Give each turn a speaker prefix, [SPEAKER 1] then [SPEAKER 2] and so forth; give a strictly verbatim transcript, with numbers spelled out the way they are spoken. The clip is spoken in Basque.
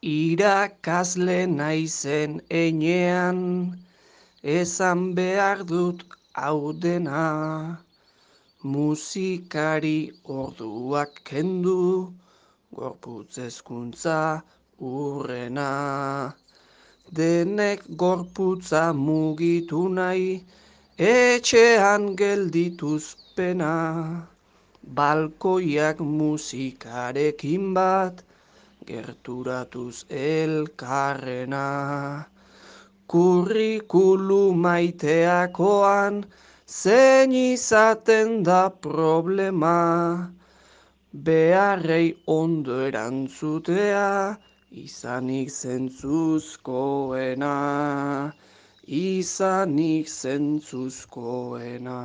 [SPEAKER 1] Irakasle naizen enean, esan behar dut hau dena. Musikari orduak kendu, gorputz hezkuntza urrena. Denek gorputza mugitu nahi, etxean geldituz pena. Balkoiak musikarekin bat, gerturatuz elkarrena. Kurrikulu maiteakoan, zein izaten da problema. Beharrei ondo erantzutea, izanik zentzuzkoena. Izanik zentzuzkoena.